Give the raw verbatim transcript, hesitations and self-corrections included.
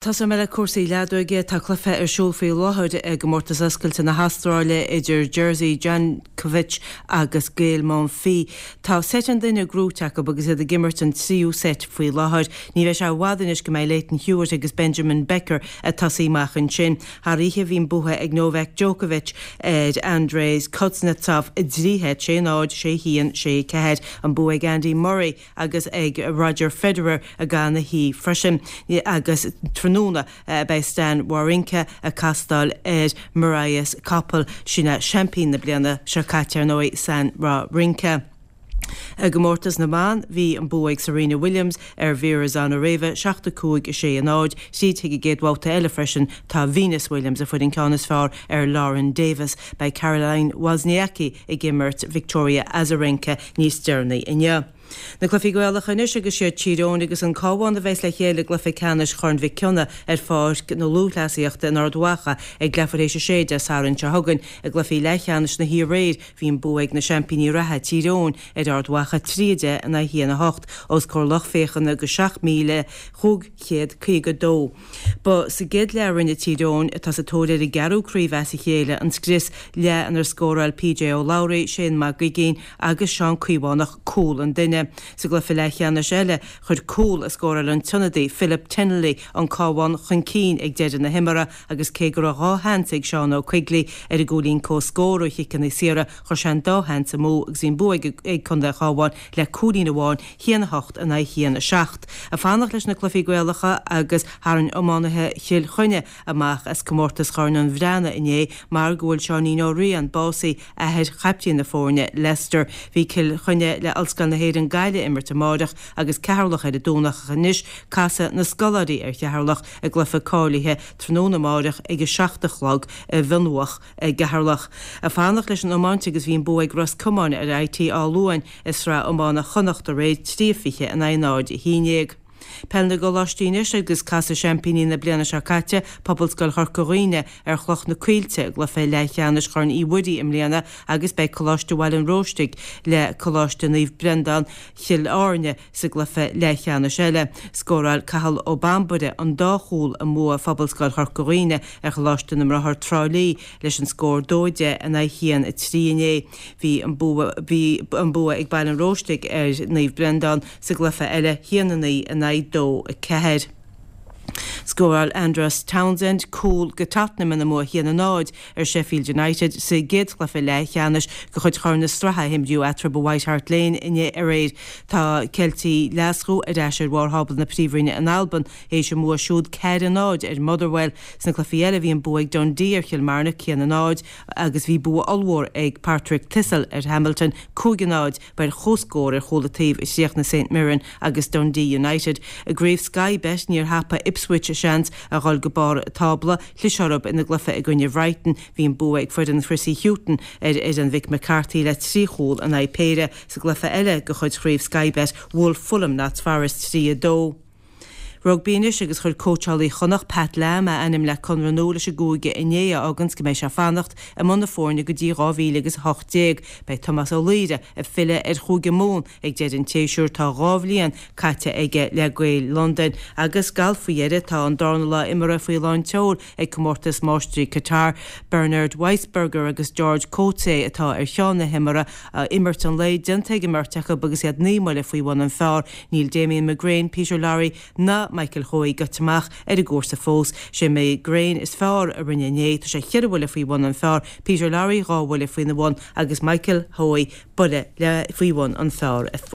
Tosóidh mé le cúrsaí leadóige. Tá cluiche ar siúl faoi láthair i gcomórtas oscailte na hAstráile idir Jerzy Janowicz agus Gael Monfils. Tá seit an duine gnóite acu agus iad ag imirt an tríú seit faoi láthair. Ní bheidh sé i bhfad anois go mbeidh Lleyton Hewitt agus Benjamin Becker ag tosaí amach ansin. Thar oíche bhí an bua ag Novak Djokovic ar Andrei Kuznetsov i dtrí sheit, sé náid, sé haon, sé ceathair. An bua ag Andy Murray agus ag Roger Federer i gcaitheamh na hoíche freisin agus tráthnóna beidh Stan Wawrinka ag castáil ar Marius Copil. Sin é seaimpín na bliana seo caite ar ndóigh Stan Wawrinka. I gcomórtas na mban bhí an bua ag Serena Williams ar Vera Zvonareva seacht a cúig a sé a náid, tríd chuig an gcéad bhabhta eile freisin tá Venus Williams a fuair an ceann is fearr ar Lauren Davis. Beidh Caroline Wozniacki ag imirt Victoria Azarenka níos deireanaí inniu. Na cluichí Gaelacha anois agus siad Tír Eoghain agus an Cabhán a bheas le chéile i gcluiche ceannais Chorn Mhic Cionnaith ar Pháirc na Lúthchleasaíochta in Ard Mhacha ag leathuair théis a sé Dé Sathairn seo chugainn. I gcluichí leathcheannais na hoíche aréir bhí an bua ag na seaimpíní reatha Tír Eoghain ar Ard Mhacha trí a deich in aghaidh a haon a hocht os comhair lucht féachana de seacht míle chúig chéad caoga dó. Ba sa gcéad leath a rinne Tír Eoghain, atá sa tóir ar a gceathrú craobh as a chéile, an scrios, leath inar scóráil P J Ó Labhraí, Shane Mag Uiginn agus Seán Caomhánach cúl an duine. Sa gcluiche leathcheannais eile chuir cúl a scóráil an t-ionadaí Philip Tinnelly an Cabhán chun cinn ag deireadh na himeartha agus cé go raibh dhá sheans ag Seán Ó Quigley ar an gcúilín comhscór ó chiceanna saora chuir sé an dá sheans amú agus bhí an bua ag Contae an Chabháin le cúilín amháin haon a hocht in aghaidh haon a seacht. Ag fanacht leis na cluichí Gaelacha agus tharraing iománaithe Chill Chainnigh amach as comórtas Chorn an Bhreathnaigh inné mar go bhfuil Seáinín Ó Riain básaithe athair chaiptín na foirne Lester. Bhí Cill Chainnigh le Ollscoil na hÉireann Gaillimh ag imirt amárach agus Ceatharlach ar an Domhnach anois casfaidh na scoláirí ar Cheatharlach i gcluiche cáilithe tráthnóna amárach ag a seacht a chlog i bhFionnmhach i gCeatharlach. Ag fanacht leis an iomáint agus bhí an bua ag Ros Comáin ar I T Áth Luain i sraith iomána Chonnacht aréir trí fiche in aghaidh náid a haon déag. Peil na gColáistí anois agus casfaidh seaimpíní na bliana seo caite Pobalscoil Chorca Dhuibhne ar Chloch na Coillte i gcluiche leathcheannais Chorn Uí Mhuirí i mbliana agus beidh Coláiste Bhaile an Róistigh le Coláiste Naomh Breandán Chill Airne sa gcluiche leathcheannais eile. Scóráil Cathal Ó Bambaire an dá chúl i mbua Phobalscoil Chorca Dhuibhne ar Choláiste na mBráthar Trá Lí leis an scór dó deich in aghaidh haon a trí inné. Bhí an bua bhí an bua ag Baile an Róistigh ar Naomh Breandán sa gcluiche eile haon a naoi in aghaidh dó a ceathair. Scóráil Andros Townsend cúl go Tottenham ina mbua haon a náid ar Sheffield United sa gcéad chluiche leathcheannais de chuid Chorn na Sraithe a imríodh eatarthu i White Hart Lane inné aréir. Tá Ceiltigh Ghlaschú ar ais ar bharr thábla na príomhroinne in Albain théis a mbua siúd ceathair a náid ar Motherwell. Sna cluichí eile bhí an bua ag Dundee ar Chill Marnock haon a náid agus bhí bua ollmhór ag Partick Thistle ar Hamilton cúig a náid bar chomhscór ar chúl an taobh i chríochnaigh Saint Mirren agus Dundee United. I gcraobh Sky Bet níor thapaigh Ipswich a seans a dhul go barr tábla chlis orthu ina gcluiche i gcoinne Brighton bhí an bua ag foireann Chrissy Hughton ar fhoireann Mhick McCarthy le trí chúl in aghaidh péire sa gcluiche eile de chuid chraobh Sky Bet bhuail Fulham Notts Forest trí a dó. Rugbaí anois agus chuir cóitseálaí Chonnacht Pat Lam a ainm le conradh nua leis an gcúige inné a fháganns go mbeidh sé fanacht i mbun na foirne go dtí dhá mhíle agus a hocht déag. Beidh Tomás Ó Laoire ag filleadh ar Chúige Mumhan ag deireadh an tséasúir tá dhá bhliain caite aige le Gaeil Londain agus galf faoi dheireadh tá an darna lá imeartha faoi lán tseoil ag comórtas máistrí Qatar Bernard Weisberger agus George Coetzee atá ar cheann na himeartha imirt an lae déanta ag an mbeirt acu agus iad naoi mbuille faoi bhun an phar níl Damien McGrane Peter Lawrie ná Michael Hoey gaibhte amach ar an gcúrsa fós sé McGrane is fearr a rinne inné tá sé ceithre bhuille faoi bhun an phar Peter Lawrie dhá bhuille faoina bhun agus Michael Hoey buille le faoi bhun an phar.